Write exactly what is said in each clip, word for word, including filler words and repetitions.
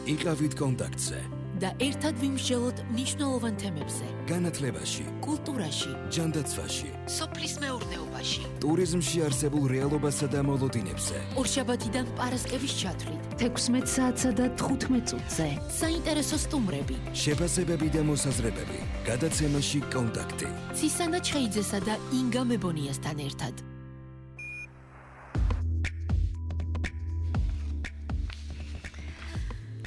იყავით კონტაქტზე და ერთად ვიმსჯელოთ მნიშვნელოვან თემებზე. განათლებაში, კულტურაში, ჯანდაცვაში, სოფლის მეურნეობაში, ტურიზმში არსებულ რეალობასა და მოლოდინებზე. ორშაბათიდან პარასკევის ჩათვლით, თექვსმეტ საათსა და თხუთმეტ წუთზე. საინტერესო სტუმრები, შეფასებები და მოსაზრებები. გადაცემაში კონტაქტი. ცისანა ჩხეიძესა და ინგა მებონიასთან ერთად.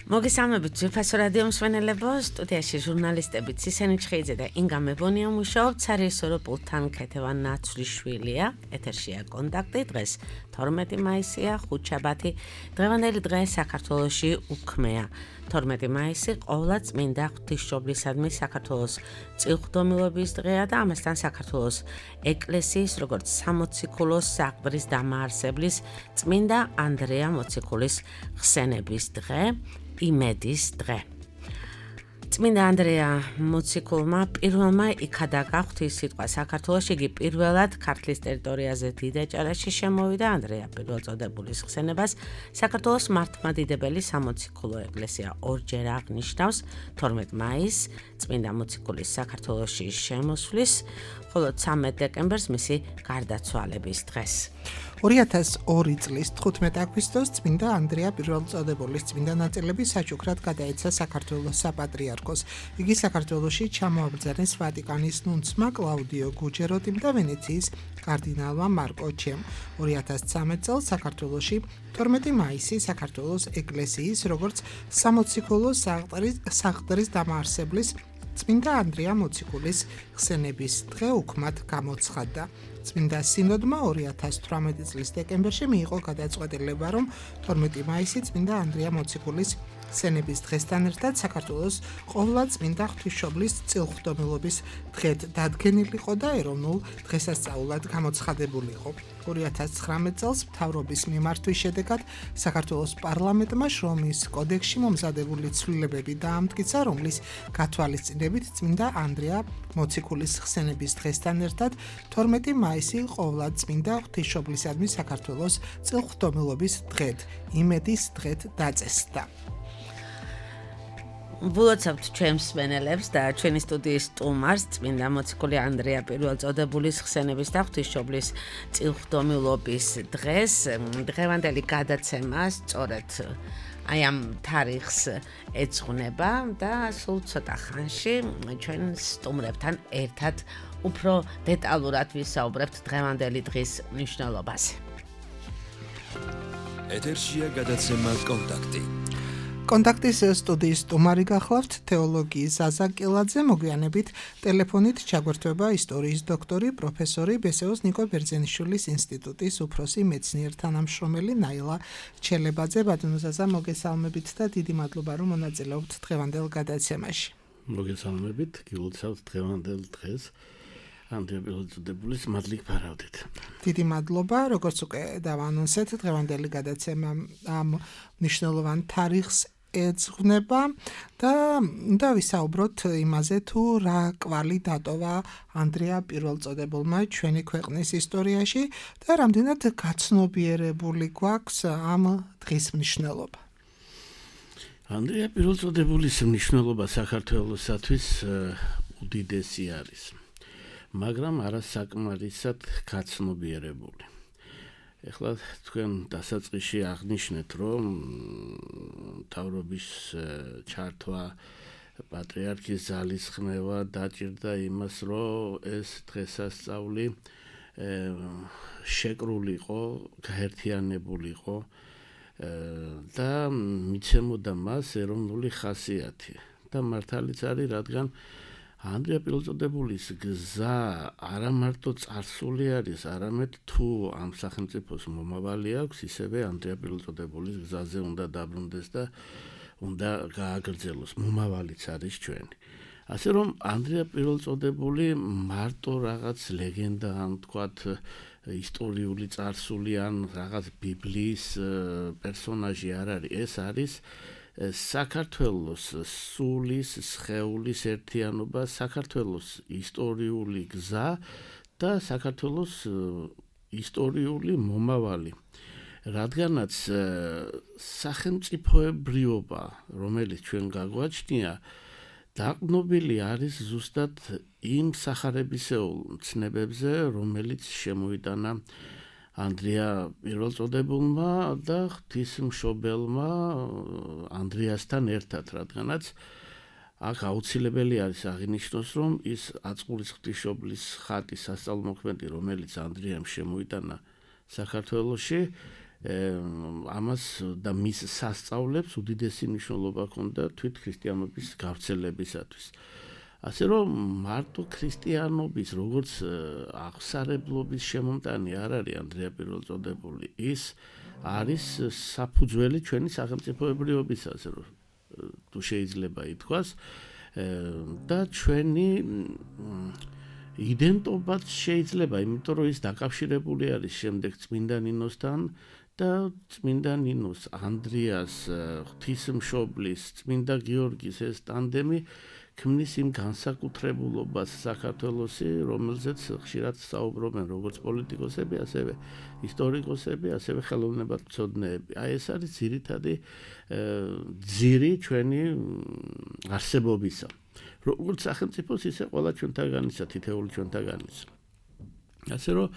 მოგესალმებით ძვირფასო რადიო მსმენელებო, სტუდიაში ჟურნალისტები ცისანი ჩხეიძე და ინგა მებონია მუშაობთ, სარეჟისორო პულტთან ქეთევან ნაცვლიშვილია. ეთერშია კონტაქტი, დღეს თორმეტი მაისია, ხუთშაბათი. დღევანდელი დღე საქართველოში უქმეა. თორმეტი მაისი ყოვლადწმინდა ღვთისმშობლისადმი საქართველოს წილხვდომილობის დღეა და ამასთან საქართველოს ეკლესიის როგორც სამოციქულოს საყდრის დამაარსებლის წმინდა ანდრია მოციქულის ხსენების დღე. იმედის დღე. წმინდა ანდრია მოციქულმა პირველმა იქადაგა ღვთის სიტყვა საქართველოში, იგი პირველად ქართლის ტერიტორიაზე დიდაჭარაში შემოვიდა. ანდრია პირველწოდებულის ხსენებას საქართველოს მართლმადიდებელი სამოციქულო ეკლესია ორჯერ აღნიშნავს თორმეტ მაისს, წმინდა მოციქულის საქართველოში შემოსვლის, ხოლო ცამეტ დეკემბერს მისი გარდაცვალების დღეს. ორი ათას ორი წლის თხუთმეტ აგვისტოს წმინდა ანდრია პირველწოდებულის წმინდა ნაწილები საჩუქრად გადაეცა საქართველოს საპატრიარქოს. იგი საქართველოში ჩამოაბრძანეს ვატიკანის ნუნცმა კლაუდიო გუჯეროტიმ და ვენეციის კარდინალმა მარკო ჩემ. ორი ათას ცამეტ წელს საქართველოში თორმეტი მაისი საქართველოს ეკლესიის როგორც სამოციქულო საყდრის დამაარსებლის წმინდა ანდრია მოციქულის ხსენების დღე უქმად გამოცხადდა. წმინდა სინოდმა ორი ათას თვრამეტი წლის დეკემბერში მიიღო გადაწყვეტილება, რომ თორმეტი მაისი წმინდა ანდრია მოციქულის ხსენების დღესთან ერთად საქართველოს ყოვლადწმინდა ღვთისმშობლის წილხვდომილობის დღედ დადგენილიყო და ეროვნულ დღესასწაულად გამოცხადებულიყო. ორი ათას ცხრამეტ წელს მთავრობის მიმართვის შედეგად საქართველოს პარლამენტმა შრომის კოდექსში მომზადებული ცვლილებები დაამტკიცა, რომლის გათვალისწინებით წმინდა ანდრია მოციქულის ხსენების დღესთან ერთად თორმეტი მაისი ყოვლადწმინდა ღვთისმშობლისადმი საქართველოს წილხვდომილობის დღედ, იმედის დღედ დაწესდა. ვლოცავთ ჩვენს მსმენელებს და ჩვენი სტუდიის სტუმარს წმინდა მოციქული ანდრია პირველწოდებულის ხსენების და ღვთისმშობლის წილხვდომილობის დღეს. დღევანდელი გადაცემა სწორედ აი ამ თარიღს ეძღვნება და სულ ცოტა ხანში ჩვენ სტუმრებთან ერთად უფრო დეტალურად ვისაუბრებთ დღევანდელი დღის მნიშვნელობაზე. ეთერშია გადაცემა კონტაქტი. კონტაქტის სტუდიის სტუმარი გახლავთ თეოლოგიის ზაზა კილაძე, მოგვიანებით ტელეფონით ჩაგვერთვება ისტორიის დოქტორი, პროფესორი ბესეოს ნიკო ბერძენიშვილის ინსტიტუტის უფროსი მეცნიერ-თანამშრომელი ნაილა ჩელებაძე. ბატონო ზაზა, მოგესალმებით და დიდი მადლობა, რომ მონაწილეობთ დღევანდელ გადაცემაში. მოგესალმებით, გილოცავთ დღევანდელ დღეს. ანდრია პირველწოდებულის მადლი გფარავდით. დიდი მადლობა, როგორც უკვე დავანონსეთ, დღევანდელი გადაცემა ამ მნიშვნელოვან თარიღს ეძღვნება და უნდა ვისაუბროთ იმაზე, თუ რა კვალი დატოვა ანდრია პირველწოდებულმა ჩვენი ქვეყნის ისტორიაში და რამდენად გაცნობიერებული გვაქვს ამ დღის მნიშვნელობა. ანდრია პირველწოდებულის მნიშვნელობა საქართველოსათვის უდიდესი არის, მაგრამ არასაკმარისად გაცნობიერებული. ეხლა თქვენ დასაწყისში აღნიშნეთ, რომ მთავრობის ჩართვა, პატრიარქის ძალისხმევა დაჭირდა იმას, რომ ეს დღესასწაული შეკრულიყო, გაერთიანებულიყო და მიცემოდა მას ეროვნული ხასიათი. და მართალიც არის, რადგან ანდრია პირველწოდებულის გზა არა მარტო წარსული არის, არამედ თუ ამ სახელმწიფოს მომავალი აქვს, ისევე ანდრია პირველწოდებულის გზაზე უნდა დაბრუნდეს და უნდა გააგრძელოს, მომავალიც არის ჩვენი. ასე რომ ანდრია პირველწოდებული მარტო რაღაც ლეგენდა, ან თქვათ ისტორიული წარსული, ან რაღაც ბიბლიის პერსონაჟი არ არის, ეს არის საქართველოს სულის, სხეულის ერთიანობა, საქართველოს ისტორიული გზა და საქართველოს ისტორიული მომავალი. რადგანაც სახელმწიფოებრიობა, რომელიც ჩვენ გაგვაჩნია, დაყრდნობილი არის ზუსტად იმ სახარებისეულ ცნებებზე, რომელიც შემოიტანა ანდრია პირველწოდებულმა და ღვთისმშობელმა ანდრიასთან ერთად, რადგანაც აქ აუცილებელი არის აღინიშნოს, რომ ის აწყურის ღვთისმშობლის ხატი სასწაულმოქმედი, რომელიც ანდრიამ შემოიტანა საქართველოში, ამას და მის სასწაულებს უდიდესი მნიშვნელობა ჰქონდა თვით ქრისტიანობის გავრცელებისათვის. ასე რომ მარტო ქრისტიანობის როგორც აღსარებლობის შემომტანი არ არის ანდრია პირველწოდებული, ის არის საფუძველი ჩვენი სახელმწიფოებრიობისა, ასე რომ თუ შეიძლება ითქვას, და ჩვენი იდენტობაც შეიძლება, იმიტომ რომ ის დაკავშირებული არის შემდეგ წმინდა ნინოსთან და წმინდა ნინოს ანდრიას ღვთისმშობლის წმინდა გიორგის ეს ტანდემი ქმნის იმ განსაკუთრებულობას საქართველოსი, რომელზეც ხშირად საუბრობენ როგორც პოლიტიკოსები, ასევე ისტორიკოსები, ასევე ხელოვნებათმცოდნეები. აი ეს არის ძირითადი ძირი ჩვენი არსებობისა. როგორც სახელმწიფოს, ისე ყველა ჩვენთაგანისა, თითეული ჩვენთაგანისა. ასე რომ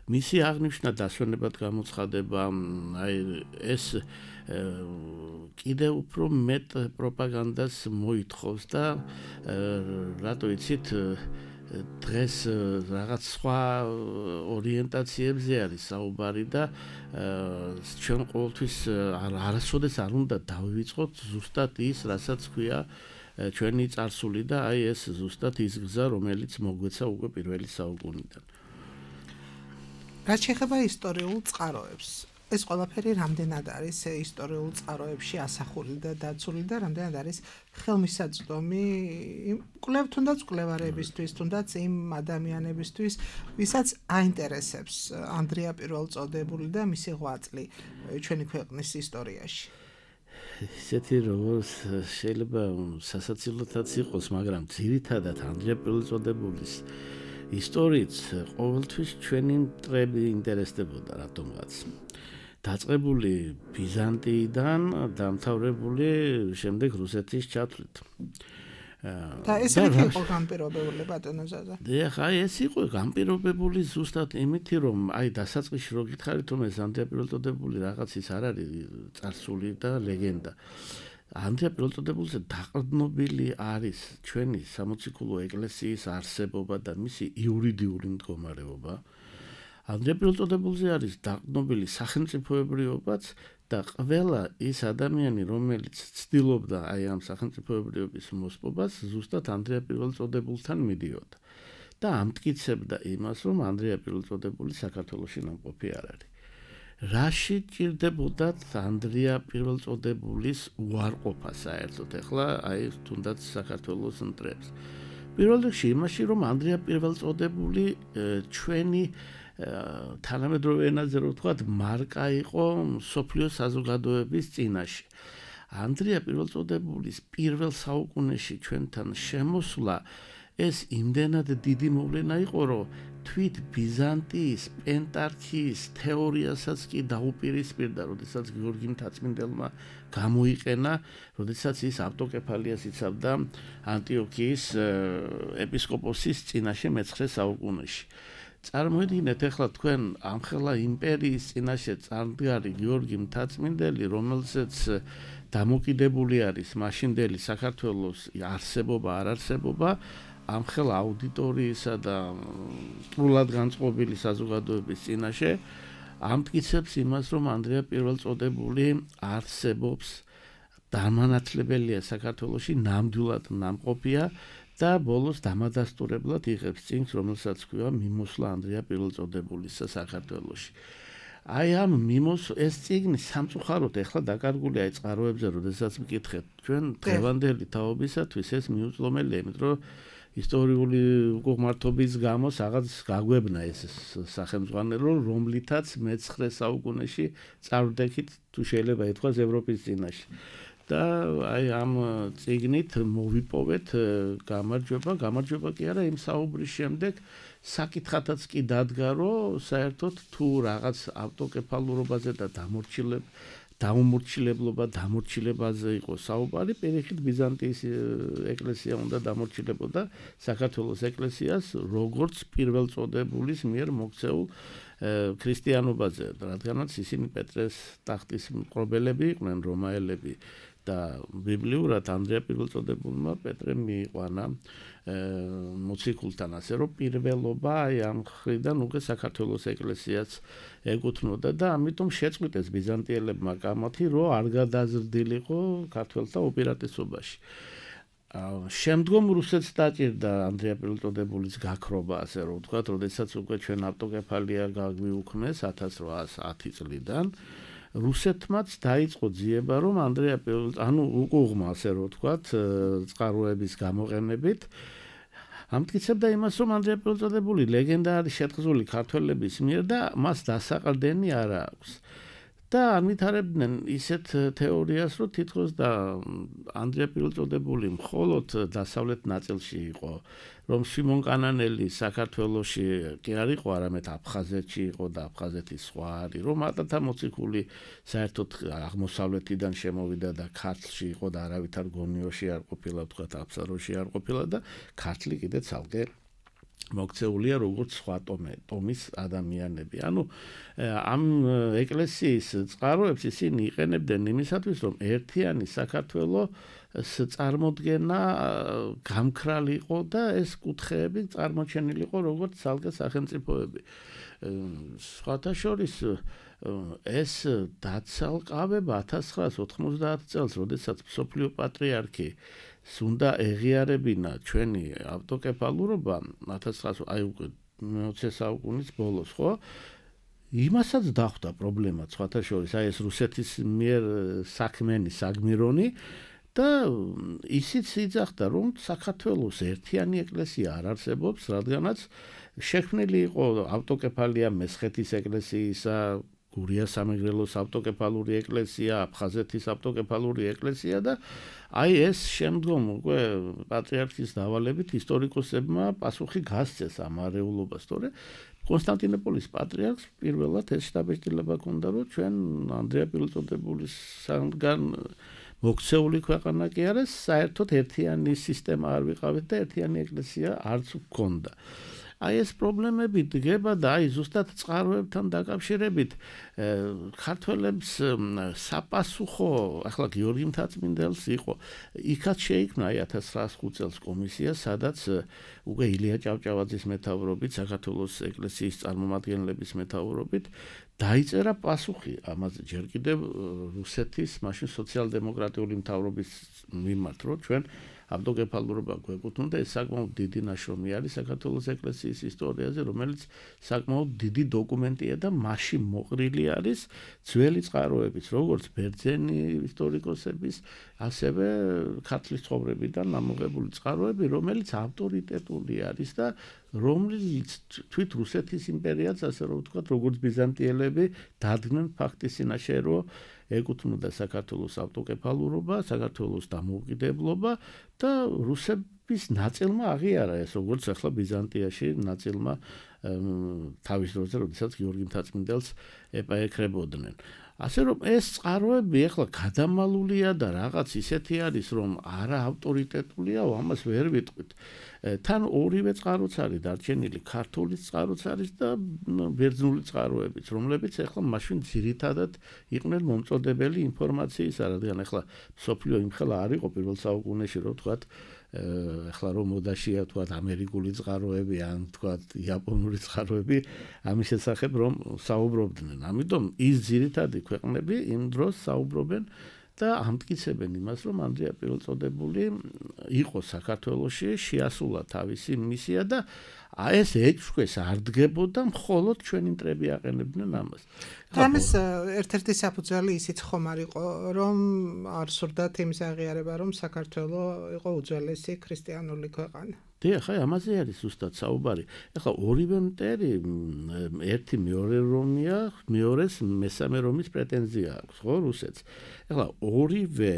მისი აღნიშვნა დასვენებად გამოცხადება, აი ეს კიდევ უფრო მეტ პროპაგანდას მოითხოვს და რატო იცით დღეს რაღაც სხვა ორიენტაციებზე არის საუბარი და ჩვენ ყოველთვის არასოდეს არ უნდა დავივიწყოთ ზუსტად ის, რასაც ქვია ჩვენი წარსული და აი ეს ზუსტად ის გზა, რომელიც მოგვეცა უკვე პირველი საუკუნიდან. რაც შეეხება ისტორიულ წყაროებს, ეს ყველაფერი რამდენად არის ისტორიულ წყაროებში ასახული და დაცული და რამდენად არის ხელმისაწვდომი კვლევ თუნდაც კვლევარებისთვის, თუნდაც იმ ადამიანებისთვის, ვისაც აინტერესებს ანდრია პირველწოდებული და მისი ღვაწლი ჩვენი ქვეყნის ისტორიაში. ისეთი როგორც შეიძლება სასაცილოთაც იყოს, მაგრამ ძირითადად ანდრია პირველწოდებულის ისტორიით ყოველთვის ჩვენი მტრები ინტერესდებოდა რატომღაც. დაწყებული ბიზანტიიდან, დამთავრებული შემდეგ რუსეთის ჩათვლით. და ეს რითი იყო განპირობებული ბატონო ზაზა? და ეს იყო განპირობებული ზუსტად იმითი, რომ აი დასაწყისში რო გითხარით, რომ ეს ანდრია პირველწოდებული რაღაც ის არ არის წარსული და ლეგენდა. ანდრია პირველწოდებულზე დაყრდნობილი არის ჩვენი სამოციქულო ეკლესიის არსებობა და მისი იურიდიული მდგომარეობა. ანდრია პირველწოდებულზე არის დაყრდნობილი სახელმწიფოებრიობაც და ყველა ის ადამიანი, რომელიც ცდილობდა აი ამ სახელმწიფოებრიობის მოსპობას, ზუსტად ანდრია პირველწოდებულთან მიდიოდა და ამტკიცებდა იმას, რომ ანდრია პირველწოდებული საქართველოში ნამყოფი არ არის. რაში ჭირდებოდათ ანდრია პირველწოდებულის უარყოფა საერთოდ ახლა აი თუნდაც საქართველოს მტრებს. პირველ რიგში იმაში, რომ ანდრია პირველწოდებული ჩვენი თანამედროვე ენაზე რო ვთქვათ, მარკა იყო მსოფლიო საზოგადოების წინაშე. ანდრია პირველწოდებულის პირველ საუკუნეში ჩვენთან შემოსვლა ეს იმდენად დიდი მოვლენა იყო, რომ თვით ბიზანტიის პენტარქიის თეორიასაც კი დაუპირისპირდა, როდესაც გიორგი მთაწმინდელმა გამოიყენა, როდესაც ის ავტოკეფალიას იცავდა ანტიოქიის ეპისკოპოსის წინაშე მეცხრე საუკუნეში. წარმოიდგინეთ ახლა თქვენ ამხელა იმპერიის წინაშე წარმდგარი გიორგი მთაწმინდელი, რომელზეც დამოკიდებული არის მაშინდელი საქართველოს არსებობა, არ არსებობა, ამხელა აუდიტორიისა და სრულად განწყობილი საზოგადოების წინაშე ამტკიცებს იმას, რომ ანდრია პირველწოდებული არსებობს, დამანათლებელია საქართველოში, ნამდვილად ნამყოფია და ბოლოს დამადასტურებლად იღებს წინს, რომელსაც ქვია მიმოსვლა ანდრია პირველწოდებულისა საქართველოში. აი ამ მიმოს ეს წიგნი სამწუხაროდ ეხლა დაკარგულია აი წყაროებზე, როდესაც მკითხეთ, ჩვენ დღევანდელი თაობისათვის ეს მიუწვდომელია, იმიტომ რომ ისტორიული უკუღმართობის გამო რაღაც გაგვებნა ეს სახელმძღვანელო, რომლითაც მეცხრე საუკუნეში წარვდექით, თუ შეიძლება ითქვას, ევროპის წინაშე. და აი ამ წიგნით მოვიპოვეთ გამარჯვება, გამარჯვება კი არა, იმ საუბრის შემდეგ საკითხათაც კი დადგა, რომ საერთოდ თუ რაღაც ავტოკეფალურობაზე და დამორჩილებ დაუმორჩილებლობა, დამორჩილებაზე იყო საუბარი, პირიქით ბიზანტიის ეკლესია უნდა დამორჩილებოდა საქართველოს ეკლესიას, როგორც პირველწოდებულის მიერ მოქცეულ ქრისტიანობაზე, რადგანაც ისინი პეტრეს ტახტის მკრობელები იყვნენ, რომაელები და ბიბლიურად ანდრია პირველწოდებულმა პეტრემ მიიყვანა მოციქულთან, ასე რომ პირველობა აი ამ ხრიდან უკვე საქართველოს ეკლესიას ეკუთვნოდა და ამიტომ შეწყვიტეს ბიზანტიელებმა კამათი, რომ არ გადაზრდილიყო ქართველთა უპირატესობაში. შემდგომ რუსეთს დაჭირდა ანდრია პირველწოდებულის გაქრობა, ასე რომ ვთქვათ, როდესაც უკვე ჩვენ ავტოკეფალია გაგვიუქმეს ათას რვაას ათი წლიდან, რუსეთმაც დაიწყო ძიება, რომ ანდრია პირველ, ანუ უკუღმა, ასე რომ ვთქვათ, წყაროების გამოყენებით ამტკიცებდა იმას, რომ ანდრია პირველწოდებული ლეგენდა არის შეთხზული ქართველების მიერ და მას დასაყრდენი არ აქვს. და ამითარებდნენ ისეთ თეორიას, რომ თითქოს და ანდრია პირველწოდებული მხოლოდ დასავლეთ ნაწილში იყო, რომ სიმონ კანანელი საქართველოში კი არ იყო, არამედ აფხაზეთში იყო და აფხაზეთის სხვა არის, რომ ატათა მოციქული საერთოდ აღმოსავლეთიდან შემოვიდა და ქართლში იყო და არავითარ გონიოში არ ყოფილა, თქვათ აფსაროში არ ყოფილა და ქართლი კიდე ცალკე მოქცეულია როგორც სხვა ტომის ადამიანები. ანუ ამ ეკლესიის წყაროებს ისინი იყენებდნენ იმისათვის, რომ ერთიანი საქართველოს წარმოდგენა გამქრალიყო და ეს კუთხეები წარმოჩენილიყო როგორც ცალკე სახელმწიფოები. სხვათა შორის ეს დაცალკავება ათას ცხრაას ოთხმოცდაათ წელს, როდესაც მსოფლიო პატრიარქი უნდა ეღიარებინა ჩვენი ავტოკეფალურობა ათას ცხრაას აი უკვე მეოცე საუკუნის ბოლოს, ხო? იმასაც დახვდა პრობლემა სხვათა შორის, აი ეს რუსეთის მიერ საქმენი საგმირონი და ისიც იძახდა, რომ საქართველოს ერთიანი ეკლესია არ არსებობს, რადგანაც შექმნილი იყო ავტოკეფალია მესხეთის ეკლესიისა, გურიას სამეგრელოს ავტოკეფალური ეკლესია, აფხაზეთის ავტოკეფალური ეკლესია და აი ეს შემდგომ უკვე პატრიარქის დავალებით ისტორიკოსებმა პასუხი გასცეს ამ არეულობას, თორე კონსტანტინოპოლის პატრიარქს პირველად ეს შთაბეჭდილება ჰქონდა, რომ ჩვენ ანდრია პირველწოდებულისგან მოქცეული ქვეყანა კი არა, საერთოდ ერთიანი სისტემა არ ვიყავით და ერთიანი ეკლესია არც გვქონდა. აი ეს პრობლემები დგება და აი ზუსტად წყაროებთან დაკავშირებით ქართველებს საპასუხო, ახლა გიორგი მთაწმინდელს იყო, იქაც შეიქმნა აი ათას ცხრაას ხუთ წელს კომისია, სადაც უკვე ილია ჭავჭავაძის მეთაურობით, საქართველოს ეკლესიის წარმომადგენლების მეთაურობით დაიწერა პასუხი ამაზე ჯერ კიდევ რუსეთის მაშინ სოციალ-დემოკრატიული მთავრობის მიმართ, რომ ჩვენ ავტოკეფალურობა გვეკუთვნოდა, ეს საკმაოდ დიდი ნაშრომი არის საქართველოს ეკლესიის ისტორიაზე, რომელიც საკმაოდ დიდი დოკუმენტია და მასში მოყრილი არის ძველი წყაროებიც, როგორც ბერძენი ისტორიკოსების, ასევე ქართლის ცხოვრებიდან ამოღებული წყაროები, რომელიც ავტორიტეტული არის და რომელიც თვით რუსეთის იმპერიაც, ასე რომ ვთქვათ, როგორც ბიზანტიელები დადგნენ ფაქტის წინაშე, რომ ეკუთვნოდა საქართველოს ავტოკეფალურობა, საქართველოს დამოუკიდებლობა და რუსების ნაწილმა აღიარა ეს, როგორც ახლა ბიზანტიაში ნაწილმა თავის დროზე, როდესაც გიორგი მთაწმინდელს ეპაექრებოდნენ. ასე რომ ეს წყაროები ახლა გადამალულია და რაღაც ისეთი არის, რომ არა ავტორიტეტულია, ამას ვერ ვიტყვით. თან ორივე წყაროც არის დარჩენილი, ქართული წყაროც არის და ბერძნული წყაროებიც, რომლებიც ახლა მაშინ ძირითადად იყვნენ მომწოდებელი ინფორმაციის, რადგან ახლა სოფლიო იმხელა არ იყო პირველ საუკუნეში, რომ ვთქვათ, ახლა რომ მოდაშია ვთქვათ ამერიკული წყაროები ან ვთქვათ იაპონური წყაროები ამის შესახებ რომ საუბრობდნენ. ამიტომ ის ძირითადი ქვეყნები იმ დროს საუბრობენ და ამტკიცებენ იმას, რომ ანდრია პირველწოდებული იყო საქართველოში, შეასრულა თავისი მისია და ეს ეჭვქვეს არ დგებოდა, მხოლოდ ჩვენი მტრები აყენებდნენ ამას. ამის ერთ-ერთი საფუძველი ისიც ხომ არ იყო, რომ არ სურდათ იმის აღიარება, რომ საქართველო იყო უძველესი ქრისტიანული ქვეყანა. დიახ, აი ამაზე არის ზუსტად საუბარი. ეხლა ორივე მტერი ერთი მეორე რომია, მეორეს მესამე რომის პრეტენზია აქვს, ხო, რუსეთს. ეხლა ორივე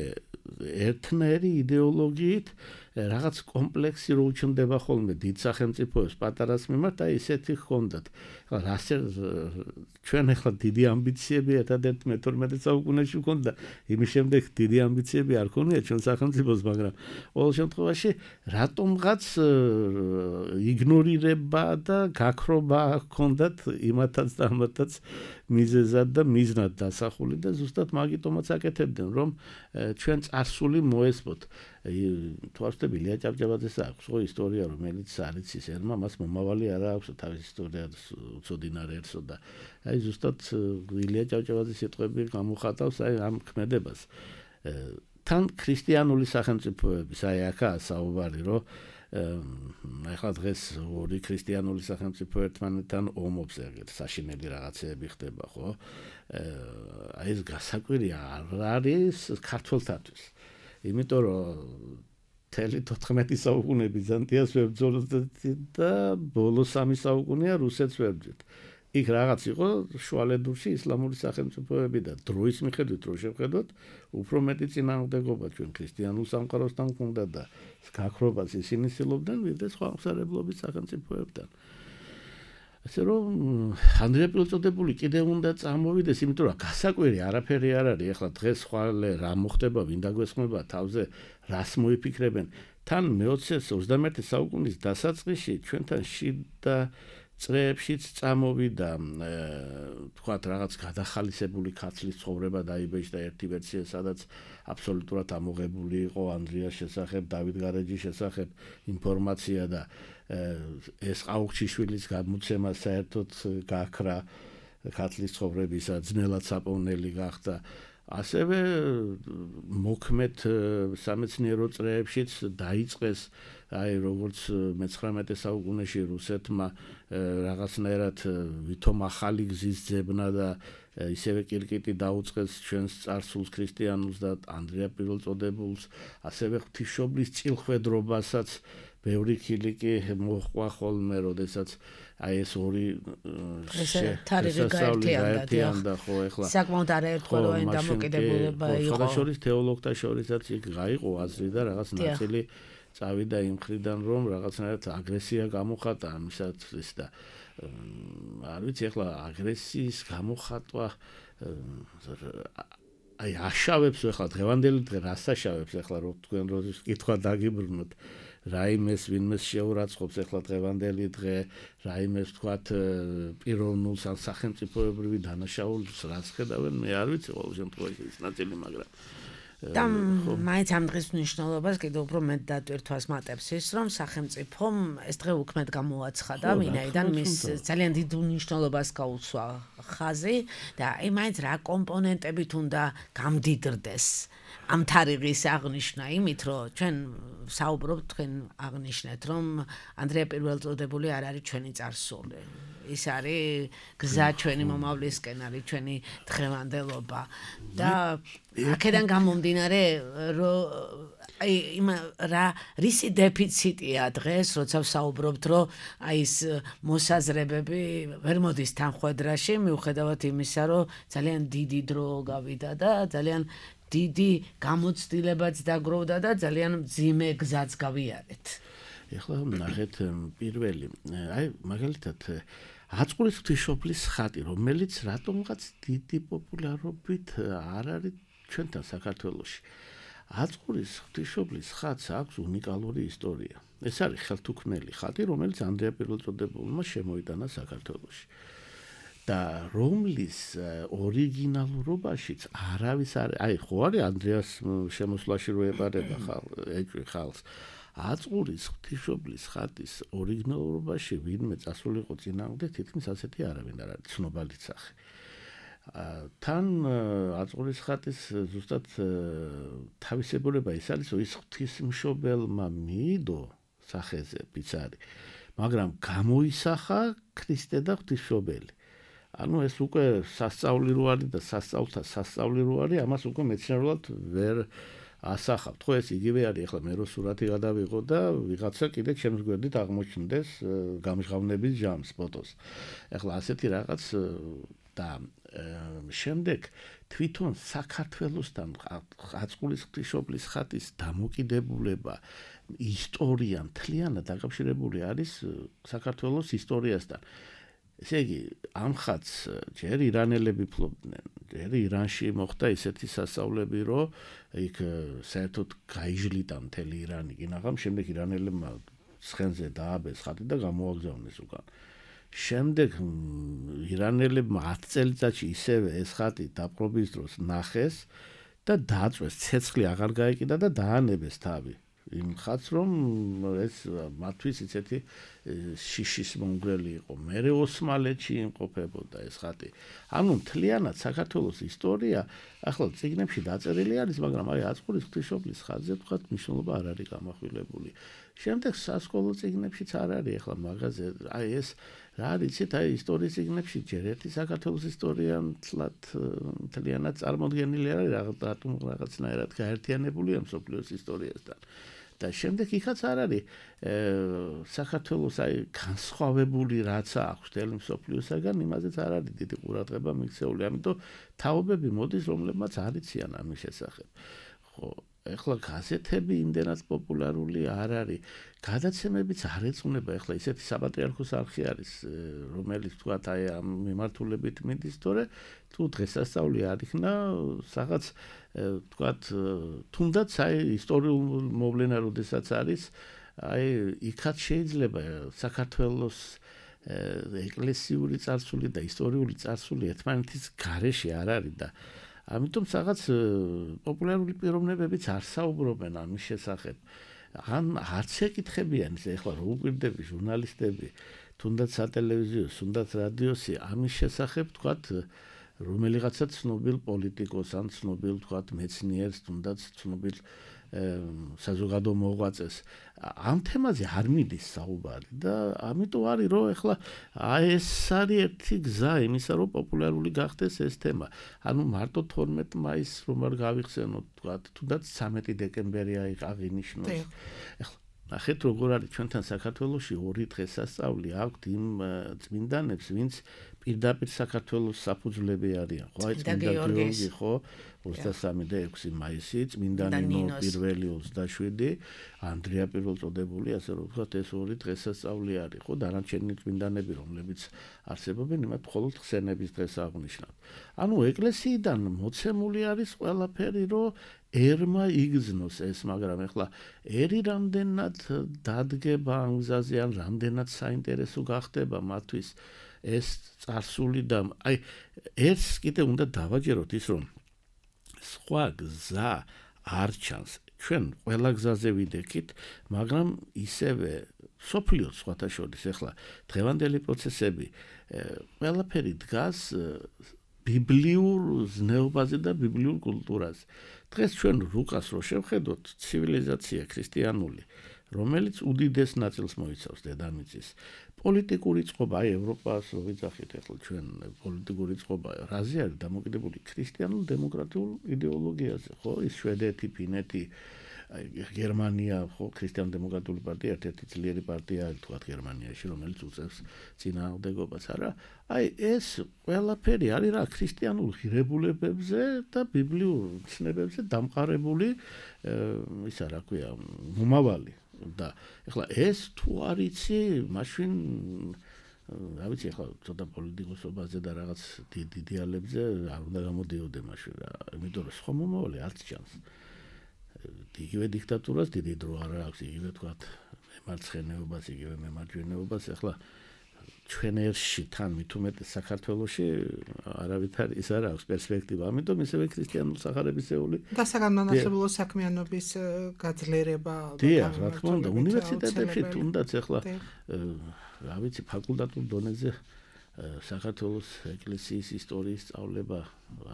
ერთნაირი იდეოლოგიით რაღაც კომპლექსი რო უჩნდება ხოლმე დიდ სახელმწიფოებს პატარას მიმართ, აი ესეთი ჰქონდათ. რასე ჩვენ ახლა დიდი ამბიციები ერთადერთ მეთორმეტე საუკუნეში ჰქონდა, იმის შემდეგ დიდი ამბიციები არ ქონია ჩვენ სახელმწიფოს, მაგრამ ყოველ შემთხვევაში რატომღაც იგნორირება და გაქრობა ჰქონდათ იმათაც და ამათაც მიზეზად და მიზნად დასახული და ზუსტად მაგიტომაც აკეთებდნენ, რომ ჩვენ წარსული მოესმოთ. თუ არ ვთქვი, ილია ჭავჭავაძეს აქვს ხო ისტორია, რომელიც არის ის ერმა, მას მომავალი არა აქვს თავის ისტორიას უცოდინარ ერთსო და აი ზუსტად ილია ჭავჭავაძის სიტყვები გამოხატავს აი ამ ქმედებას. თან ქრისტიანული სახელმწიფოების აი აქაა საუბარი, რომ ახლა დღეს ორი ქრისტიანული სახელმწიფო ერთმანეთთან ომობს, ეგრეთ საშინელი რაღაცეები ხდება, ხო? აი ეს გასაკვირია არ არის ქართველთათვის. იმიტომ რომ თელი თოთხმეტი საუკუნე ბიზანტიას ვებრძოლოთ და ბოლო სამი საუკუნეა რუსეთს ვებრძვით. იქ რაღაც იყო შუალედურში ისლამური სახელმწიფოები და დროის მიხედვით რო შევხედოთ, უფრო მეტი წინააღმდეგობა ჩვენ ქრისტიანულ სამყაროსთან ჰქონდა და გაქრობას ისინი ცდილობდნენ ვიდრე სხვა აღმსარებლობის სახელმწიფოებთან. ასე რომ ანდრია პირველწოდებული კიდევ უნდა წამოვიდეს, იმიტომ რომ გასაკვირი არაფერი არ არის. ახლა დღეს ხვალე რა მოხდება, ვინ დაგვესხმება თავზე, რას მოიფიქრებენ. თან მეოცე ოცდამეერთე საუკუნის დასაწყისში ჩვენთან შიდა წრეებშიც წამოვიდა თქვათ რაღაც გადახალისებული ქაცლის ცხოვრება დაიბეჭდა ერთი ვერსია, სადაც აბსოლუტურად ამოღებული იყო ანდრიას შესახებ, დავით გარეჯის შესახებ ინფორმაცია და ეს ყაუხჩიშვილის გამოცემა საერთოდ გაქრა ქაცლის ცხოვრებისა, ძნელად საპოვნელი გახდა. ასევე მოქმედ სამეცნიერო წრეებშიც დაიწყეს აი როგორც მეცხრამეტე საუკუნეში რუსეთმა რაღაცნაირად ვითომ ახალი გზის ძებნა და ისევე კირკიტი დაუწყეს ჩვენს წარსულს ქრისტიანულს და ანდრია პირველწოდებულს, ასევე ღვთისმშობლის წილხვედრობასაც ბევრი ქილიკი მოჰყვა ხოლმე, როდესაც აი ეს ორი თარიღი გაერთიანდა ხო ახლა საკმაოდ არაერთგვაროვანი აი დამოკიდებულება იყო. სხვადასხვა თეოლოგთა შორისაც იქ გაიყო აზრი და რაღაც ნაწილი წავიდა იმ მხრიდან, რომ რაღაცნაირად აგრესია გამოხატა ამისათვის და არ ვიცი ახლა აგრესიის გამოხატვა აი აშავებს ახლა დღევანდელი დღე რას აშავებს ახლა რო თქვენ რო კითხვა დაგიბრუნოთ რაიმეს ვინმეს შეურაცხყოფს ახლა დღევანდელი დღე რაიმეს თქვათ პიროვნულს ან სახელმწიფოებრივი დანაშაულს რას ხედავენ მე არ ვიცი ყოველ შემთხვევაში ის ნაწილი მაგრამ და მაინც ამ დღის მნიშვნელობას კიდევ უფრო მეტ დატვირთვას მატებს ის რომ სახელმწიფომ ეს დღე უქმედ გამოაცხადა ვინაიდან მის ძალიან დიდ მნიშვნელობას გაუსვა ხაზი და აი მაინც რა კომპონენტებით უნდა გამდიდრდეს ამ თარიღის აღნიშვნა იმით რომ ჩვენ საუბრობთ თქვენ აღნიშნეთ რომ ანდრია პირველწოდებული არ არის ჩვენი წარსული ის არის გზა ჩვენი მომავლისკენ არის ჩვენი დღევანდელობა და აქედან გამომდინარე რომ აი იმ რა რისი დეფიციტია დღეს როცა ვსაუბრობთ რომ აი ეს მოსაზრებები ვერ მოდის თანხwebdriverში მიუხედავად იმისა რომ ძალიან დიდი დრო გავიდა და ძალიან დიდი გამოცდილებაც დაგროვდა და ძალიან მძიმე გზაც გავიარეთ. ეხლა ნახეთ პირველი აი მაგალითად აწყვრის ღვთისმშობლის ხატი, რომელიც რატომღაც დიდი პოპულარობით არ არის ჩვენთან საქართველოში. აწყვრის ღვთისმშობლის ხატს აქვს უნიკალური ისტორია. ეს არის ხელთუქმნელი ხატი, რომელიც ანდრია პირველწოდებულმა შემოიტანა საქართველოში. და რომლის ორიგინალურობაშიც არავის არ აი ხო არის ანდრიას შემოსვლაში რო ეპარება ხალხს აწყვრის ღვთისმშობლის ხატის ორიგინალურობაში ვინმე წასულიყო წინააღმდეგ თითქმის ასეთი არავინ არ არის ცნობალიც სახე თან აწყვრის ხატის ზუსტად თავისებურება ის არის რომ ის ღვთისმშობელმა მიიდო სახეზე ბიცარი მაგრამ გამოისახა ქრისტე და ღვთისმშობელი ანუ ეს უკვე სასწაული რო არის და სასწაულთა სასწაული რო არის, ამას უკვე მეცნიერულად ვერ ასახავთ. ხო ეს იგივე არის, ახლა მე რო სურათი გადავიღო და ვიღაცა კიდე ჩემს გვერდით აღმოჩნდეს გამჟღავნების ჟამს ფოტოს. ახლა ასეთი რაღაც და შემდეგ თვითონ საქართველოსთან აწყვლის ღვთისმშობლის ხატის დამოკიდებულება ისტორია მთლიანად დაკავშირებული არის საქართველოს ისტორიასთან. ესე იგი, ამ ხატს ჯერ ირანელები ფლობდნენ, ჯერ ირანში მოხდა ისეთი სასწაულები, რომ იქ საერთოდ გაიჟლიტა მთელი ირანი, კინაღამ შემდეგ ირანელებმა ცხენზე დააბეს ხატი და გამოაგზავნეს უკან. შემდეგ ირანელებმა ათ წელიწადში ისევე ეს ხატი დაპყრობის დროს ნახეს და დააწვეს, ცეცხლი აღარ გაეკიდა და დაანებეს თავი. იმ ხატს რომ ეს მათთვის ისეთი შიშის მომგვრელი იყო. მერე ოსმალეთში იმყოფებოდა ეს ხატი. ანუ მთლიანად საქართველოს ისტორია ახლა წიგნებში დაწერილი არის, მაგრამ აი აწყვრის ღვთისმშობლის ხატზე თქვათ მნიშვნელობა არ არის გამახვილებული. შემდეგ სასკოლო წიგნებშიც არ არის ახლა მაგაზე, აი ეს რა არის, იცით, აი ისტორიის წიგნებში ჯერ ერთი საქართველოს ისტორია მთლიანად წარმოდგენილი არის, რატომ რაღაცნაირად გაერთიანებულია მსოფლიოს ისტორიასთან. და შემდეგ იქაც არ არის საქართველოს აი განსხვავებული რაც აქვს მთელი მსოფლიოსაგან, იმაზეც არ არის დიდი ყურადღება მიქცეული. ამიტომ თაობები მოდის, რომლებმაც არ იციან ამის შესახებ. ხო, ეხლა გაზეთები იმდენად პოპულარული არ არის. გადაცემებიც არ ეწუნება, ეხლა ისეთი საპატრიარქოს არხი არის, რომელიც თქვათ აი ამ მიმართულებით მიდის, თორე თუ დღესასწაული არ იქნა, რაღაც თქვათ თუნდაც აი ისტორიულ მოვლენა როდესაც არის, აი იქაც შეიძლება საქართველოს ეკლესიური წარსული და ისტორიული წარსული ერთმანეთის გარეშე არ არის და ამიტომ რაღაც პოპულარული პიროვნებებიც არ საუბრობენ ამის შესახებ. ან არც ეკითხებიან ისე ახლა რო უპირდები ჟურნალისტები, თუნდაც სატელევიზიო, თუნდაც რადიოსი ამის შესახებ თქვათ რომელიღაცა ცნობილ პოლიტიკოს ან ცნობილ თქვათ მეცნიერს, თუნდაც ცნობილ საზოგადო მოღვაწეს ამ თემაზე არ მიდის საუბარი და ამიტომ არის რომ ახლა აი ეს არის ერთი გზა იმისა რომ პოპულარული გახდეს ეს თემა. ანუ მარტო თორმეტ მაისს რომ არ გავიხსენოთ თქვათ, თუნდაც ცამეტი დეკემბერი აღინიშნოს. ახლა ნახეთ როგორ არის ჩვენთან საქართველოში ორი დღესასწაული აქვთ იმ წმინდანებს, ვინც პირდაპირ საქართველოს საფუძვლები არიან. ხო, აი წმინდა გიორგი, ხო, ოცდასამი და ექვსი მაისი, წმინდა ნინო პირველი ოცდაშვიდი, ანდრია პირველწოდებული, ასე რომ ვთქვათ, ეს ორი დღესასწაული არის, ხო, დანარჩენი წმინდანები, რომლებიც არსებობენ, იმათ მხოლოდ ხსენების დღეს აღნიშნავთ. ანუ ეკლესიიდან მოცემული არის ყველაფერი, რომ ერმა იგზნოს ეს, მაგრამ ახლა ერი რამდენად დადგება ამ გზაზე, ან რამდენად საინტერესო გახდება მათთვის ეს წარსული და აი ერთს კიდე უნდა დავაჯეროთ ის რომ სხვა გზა არ ჩანს. ჩვენ ყველა გზაზე ვიდექით, მაგრამ ისევე სოფლიო სხვათა შორის ახლა დღევანდელი პროცესები ყველაფერი დგას ბიბლიურ ზნეობაზე და ბიბლიურ კულტურაზე. დღეს ჩვენ რუკას რო შევხედოთ, ცივილიზაცია ქრისტიანული, რომელიც უდიდეს ნაწილს მოიცავს დედამიწის. პოლიტიკური წყობა, აი ევროპას რო ვიძახით, ახლა ჩვენ პოლიტიკური წყობა რაზე არის დამოკიდებული ქრისტიანულ დემოკრატიულ იდეოლოგიაზე, ხო? ის შვედეთი, ფინეთი, გერმანია, ხო, ქრისტიან-დემოკრატიული პარტია ერთ-ერთი ძლიერი პარტია თქვათ გერმანიაში, რომელიც უწევს წინააღმდეგობას, არა? აი ეს ყველაფერი არის რა ქრისტიანულ ღირებულებებზე და ბიბლიურ ცნებებზე დამყარებული ისა რა ქვია, მომავალი. და ეხლა ეს თუ არ იცი, მაშინ რა ვიცი, ეხლა ცოტა პოლიტიკოსობაზე და რაღაც დიდ იდეალებზე არ უნდა გამოდიოდე მაშინ რა, იმიტომ რომ სხვა მომავალი არც ჩანს. იგივე დიქტატურას დიდი დრო არ აქვს, იგივე თქვათ მემარცხენეობას, იგივე მემარჯვენეობას, ეხლა ჩვენ ერში თან მით უმეტეს საქართველოში არავითარ ის არ აქვს პერსპექტივა, ამიტომ ისევე ქრისტიანულ სახარებისეული და საგანმანათლებლო საქმიანობის გაძლიერება დიახ, რა თქმა უნდა, უნივერსიტეტებში თუნდაც ეხლა რა ვიცი, ფაკულტატურ დონეზე საქართველოს ეკლესიის ისტორიის სწავლება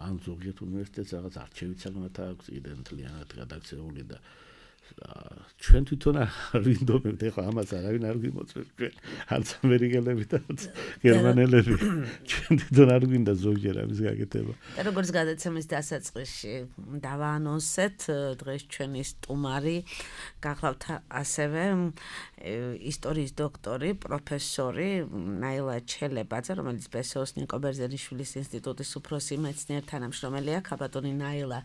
ან ზოგიერთ უნივერსიტეტს რაღაც არჩევით საკმაოდ აქვს კიდე მთლიანად გადაქცეული და ჩვენ თვითონ არ ვინდომებთ ეხლა ამას არავინ არ გვიმოწმებს ჩვენ არც ამერიკელები და გერმანელები ჩვენ თვითონ არ გვინდა ზოგჯერ ამის გაკეთება და როგორც გადაცემის დასაწყისში დავაანონსეთ დღეს ჩვენი სტუმარი გახლავთ ასევე ისტორიის დოქტორი პროფესორი ნაილა ჩელებაძე რომელიც ბესოს ნიკო ბერძენიშვილის ინსტიტუტის უფროსი მეცნიერ თანამშრომელია ქაბატონი ნაილა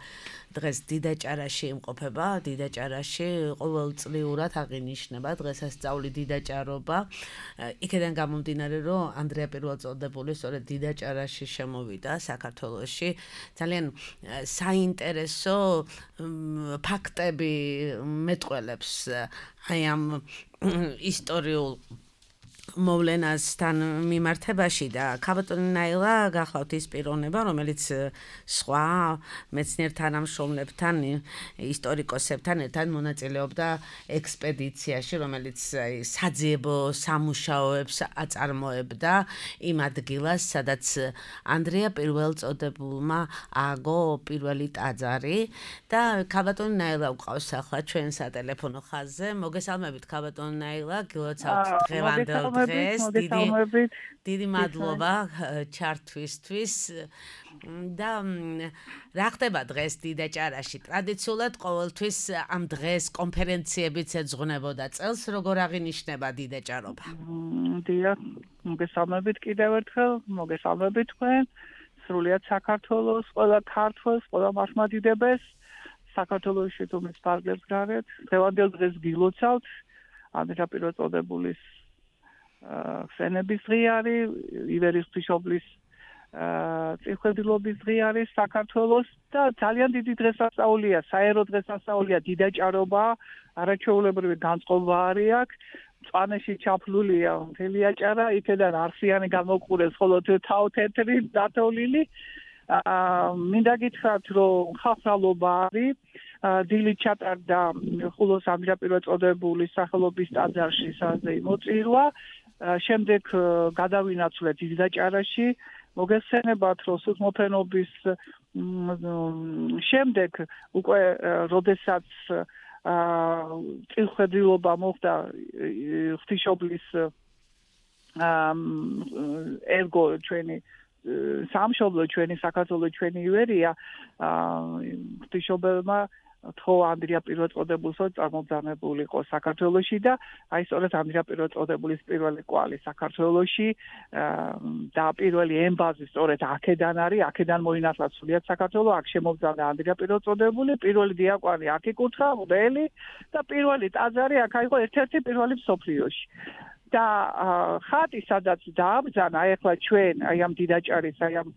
დღეს დიდაჭარაში იმყოფება დიდაჭარაში ყოველწლიურად აღინიშნება დღესასწაული დიდაჭარობა იქედან გამომდინარე რომ ანდრია პირველწოდებული სწორედ დიდაჭარაში შემოვიდა საქართველოში ძალიან საინტერესო ფაქტები მეტყველებს აი ამ ისტორიულ მოვლენასთან მიმართებაში და ქაბატონი ნაილა გახლავთ ის პიროვნება რომელიც სხვა მეცნიერ თანამშრომლებთან ისტორიკოსებთან ერთად მონაწილეობდა ექსპედიციაში რომელიც საძიებო სამუშაოებს აწარმოებდა იმ ადგილას სადაც ანდრია პირველწოდებულმა ააგო პირველი ტაძარი და ქაბატონი ნაილა უყავს ახლა ჩვენ სატელეფონო ხაზზე მოგესალმებით ქაბატონი ნაილა გილოცავთ დღევანდელ დღეს დიდი დიდი მადლობა ჩართვისთვის და რა ხდება დღეს დიდაჭარაში ტრადიციულად ყოველთვის ამ დღეს კონფერენციებიც ეძღვნებოდა წელს როგორ აღინიშნება დიდაჭარობა დიახ მოგესალმებით კიდევ ერთხელ მოგესალმებით თქვენ სრულიად საქართველოს ყველა ქართველს ყველა მართლმადიდებელს საქართველოში თუმცა ფარგლებს გარეთ დღევანდელ დღეს გილოცავთ ანდრია პირველწოდებულის ხსენების დღე არის ივერიის ღვთისმშობლის წინხედილობის დღე არის საქართველოს და ძალიან დიდი დღესასწაულია საერო დღესასწაულია დიდაჭარობა არაჩვეულებრივი განწყობა არის აქ მწვანეში ჩაფლულია მთელი აჭარა იქედან არსიანი გამოყურეს ხოლო თავთეთრი დათოლილი მინდა გითხრათ რომ ხალხალობა არის დილით ჩატარდა ხულოს ანდრია პირველწოდებულის სახელობის ტაძარში საზეიმო შემდეგ გადავინაცვლეთ დიდაჭარაში მოგესწრებათ რომ სულთმოფენობის შემდეგ უკვე როდესაც წინხედილობა მოხდა ღვთისმშობლის ერგო ჩვენი სამშობლო ჩვენი საქართველო ჩვენი ივერია ღვთისმშობელმა თო ანდრია პირველწოდებულსო წარმოგზავნებულიყო საქართველოში და აი სწორედ ანდრია პირველწოდებულის პირველი კვალი საქართველოში და პირველი ემბაზი სწორედ აქედან არის აქედან მოინათლა სრულიად საქართველო აქ შემოგზავნა ანდრია პირველწოდებული პირველი დიაკვანი აქ იკურთხა მღვდელი და პირველი ტაძარი აქ აიღო ერთ-ერთი პირველი მსოფლიოში და ხატი სადაც დააბრძანა ეხლა ჩვენ აი ამ დიდაჭარის აი ამ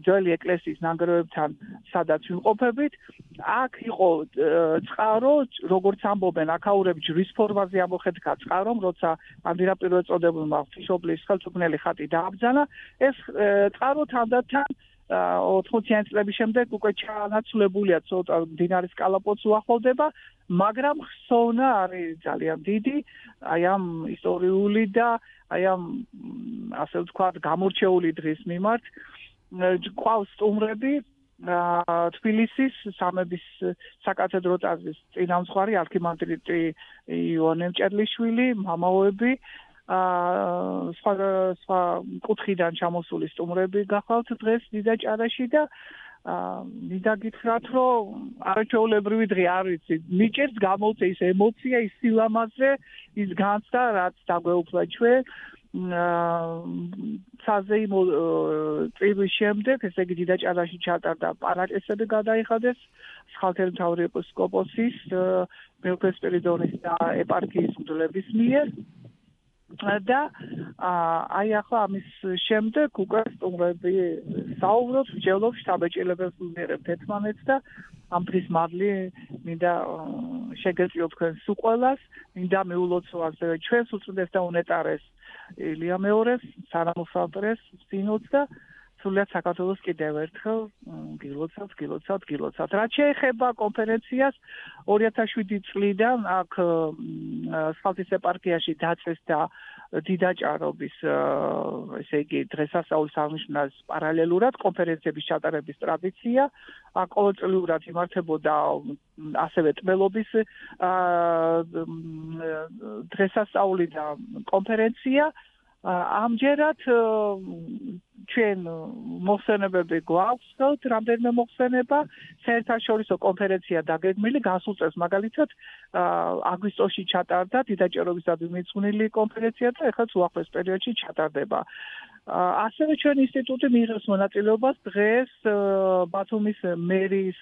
ძველი ეკლესიის ნანგრევებთან სადაც ვიმყოფებით აქ იყო წყარო როგორც ამბობენ აქაურები ჯვრის ფორმაზე ამოხეთქა წყარომ როცა ანდრია პირველწოდებულმა ღვთისმშობლის ხელთუქმნელი ხატი დააბრძანა ეს წყარო თანდათან ოთხმოციანი წლების შემდეგ უკვე ჩანაცვლებულია ცოტა მდინარის კალაპოტს უახლოვდება მაგრამ ხსოვნა არის ძალიან დიდი აი ამ ისტორიული და აი ამ ასე ვთქვათ გამორჩეული დღის მიმართ ყავს სტუმრები თბილისის სამების საკათედრო ტაძრის წინამძღვარი არქიმანდრიტი ივანე მჭედლიშვილი მამაოები სხვა სხვა კუთხიდან ჩამოსული სტუმრები გახავთ დღეს დიდაჭარაში და მინდა გითხრათ რომ არაჩვეულებრივი დღე არ ვიცი მიჭერს გამოვწე ის ემოცია ის სილამაზე ის განცდა რაც დაგვეუფლა ჩვენ საზეიმო წირვის შემდეგ ესე იგი დიდაჭარაში ჩატარდა პარაკესები გადაიხადეს სხალთელმთავრი ეპისკოპოსის მეოთხე სპირიდონის და ეპარქიის მღვდლების მიერ და აი ახლა ამის შემდეგ უკვე სტუმრები საუბრობთ, ვჯელობთ, შთაბეჭდილებებს ვიღებთ ერთმანეთს და ამ დღის მადლი მინდა შეგეწიოთ თქვენს უყველას, მინდა მიულოცო ასევე ჩვენს უწმიდეს და უნეტარეს ილია მეორეს, სანამოსალტრეს, სინოდს და სრულიად საქართველოს კიდევ ერთხელ გილოცავთ, გილოცავთ, გილოცავთ. რაც შეეხება კონფერენციას ორი ათას შვიდი წლიდან აქ სხალთის ეპარქიაში დაწესდა დიდაჭარობის ესე იგი დღესასწაულის აღნიშვნას პარალელურად კონფერენციების ჩატარების ტრადიცია ყოველწლიურად იმართებოდა ასევე ტბელობის დღესასწაული და კონფერენცია ამჯერად ჩვენ მოხსენებები გვაქვს რამდენიმე მოხსენება საერთაშორისო კონფერენცია დაგეგმილი გასულ წელს მაგალითად აგვისტოში ჩატარდა დიდაჭერობისადმი მიძღვნილი კონფერენცია და ეხლა უახლოეს პერიოდში ჩატარდება ასევე ჩვენ ინსტიტუტი მიიღებს მონაწილეობას დღეს ბათუმის მერის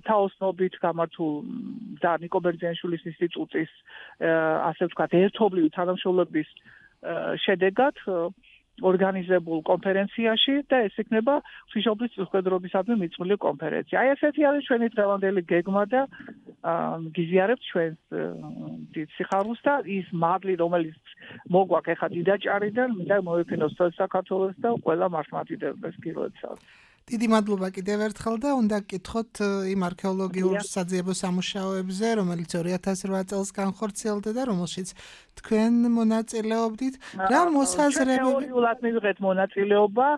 თაოსნობით გამართულ და ნიკო ბერძენიშვილის ინსტიტუტის ასე ვთქვათ ერთობლივი თანამშრომლობის შედეგად ორგანიზებულ კონფერენციაში და ეს იქნება ღვთისმშობლის წინსხვედრობისადმი მიძღვნილი კონფერენცია. აი ესეთი არის ჩვენი დღევანდელი გეგმა და გიზიარებთ ჩვენს დიდ სიხარულს და ის მადლი რომელიც მოგვაქვს ახლა დიდაჭარიდან მინდა მოვიფინოს თელ საქართველოს და ყველა მართლმადიდებლებს გილოცავთ. დიდი მადლობა კიდევ ერთხელ და უნდა გკითხოთ იმ არქეოლოგიურ საძიებო სამუშაოებზე, რომელიც ორი ათას რვა წელს განხორციელდა და რომელშიც თქვენ მონაწილეობდით. რა მოსაზრებები თეორიულად მივიღეთ მონაწილეობა,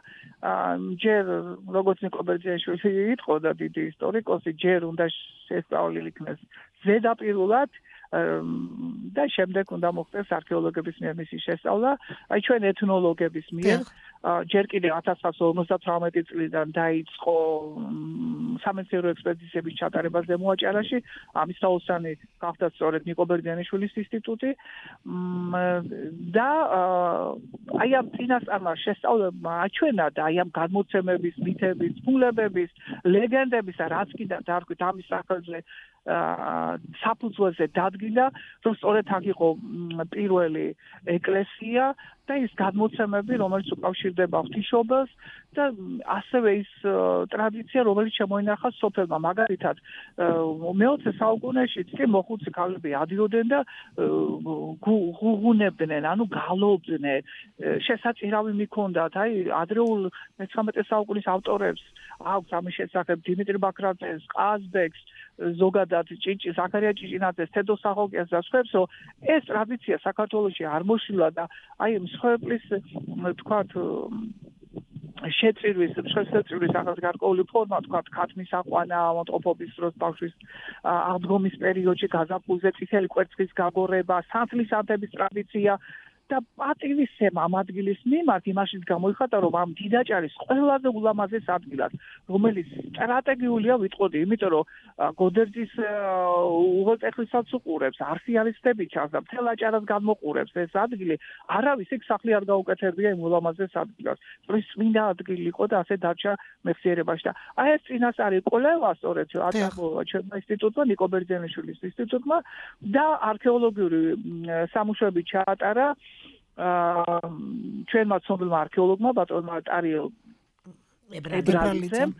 ჯერ როგორც ნიკო ბერძენიშვილი იყო და დიდი ისტორიკოსი, ჯერ უნდა შესწავლილი იქნეს ზედაპირულად და შემდეგ უნდა მოხდეს არქეოლოგების მიერ მისი შესწავლა, აი ჩვენ ეთნოლოგების მიერ ჯერ კიდევ ათას ცხრაასი ორმოცდათვრამეტი წლიდან დაიწყო სამეცნიერო ექსპედიციების ჩატარება ზემოაჭარაში, ამის თაოსანი გახდა სწორედ ნიკო ბერძენიშვილის ინსტიტუტი და აი ამ წინასწარმა შესწავლებმა აჩვენა და აი ამ გადმოცემების, მითების, ფულებების, ლეგენდების და რაც კიდევ დარქვით ამის სახელზე საფუძველზე დადგინდა, რომ სწორედ აქ იყო პირველი ეკლესია და ის გადმოცემები, რომელიც უკავშირდება ღვთისმშობელს და ასევე ის ტრადიცია, რომელიც შემოინახა სოფელმა. მაგალითად, მეოცე საუკუნეში კი მოხუცი ქალები ადიოდნენ და ღუღუნებდნენ, ანუ გალობდნენ, შესაწირავი მიქონდათ, აი ადრეულ მეცხრამეტე საუკუნის ავტორებს აქვს ამის შესახებ დიმიტრი ბაქრაძეს, ყაზბეგს, ზოგადად ჭიჭი ზაქარია ჭიჭინაძეს, თედო სახოკიას და სხვებს, რომ ეს ტრადიცია საქართველოში არ მოშილა და აი მსხვერპლის თქვათ შეწირვის, შეწირვის ახალ გარკვეული ფორმა, თქვათ ქათმის აყვანა, ავადმყოფობის დროს ბავშვის აღდგომის პერიოდში გაზაფხულზე წითელი კვერცხის გაგორება, სანთლის ანთების ტრადიცია და პატივისცემა ამ ადგილის მიმართ იმაშიც გამოიხატა, რომ ამ დიდაჭარის ყველაზე ულამაზეს ადგილას, რომელიც სტრატეგიულია ვიტყოდი, იმიტომ რომ გოდერძის უღელტეხილსაც უყურებს, არსიარისტები ჩანს და მთელ აჭარას გამოყურებს ეს ადგილი, არავის იქ სახლი არ გაუკეთებია იმ ულამაზეს ადგილას. ის წმინდა ადგილი იყო და ასე დარჩა მეხსიერებაში და აი ეს წინასწარი კვლევა სწორედ აწარმოა ჩვენმა ინსტიტუტმა, ნიკო ბერძენიშვილის ინსტიტუტმა და არქეოლოგიური სამუშაოები ჩაატარა ჩვენმა ცნობილმა არქეოლოგმა ბატონმა ტარიელ ებრალიძემ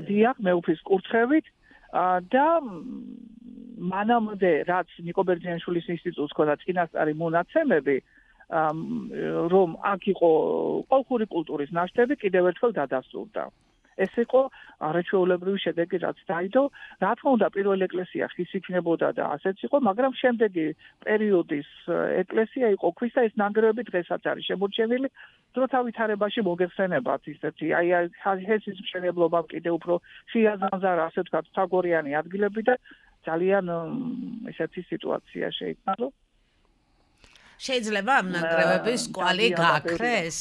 დიახ მეუფის კურთხევით და მანამდე რაც ნიკო ბერძენიშვილის ინსტიტუტს ჰქონდა წინასწარი მონაცემები რომ აქ იყო კოლხური კულტურის ნაშთები კიდევ ერთხელ დადასტურდა. ეს იყო არაჩვეულებრივი შედეგი, რაც დაიდო. რა თქმა უნდა, პირველი ეკლესია ხის იქნებოდა და ასეც იყო, მაგრამ შემდეგი პერიოდის ეკლესია იყო ქვის და ეს ნანგრევები დღესაც არის შემორჩენილი. დროთა ვითარებაში მოგეხსენებათ ისეთი, აი ჰესის მშენებლობამ კიდევ უფრო შეაზამზარა, ასე ვთქვათ, თაგორიანი ადგილები და ძალიან ესეთი სიტუაცია შეიქმნა, რომ შეიძლება ამ ნანგრევების კვალი გაქრეს?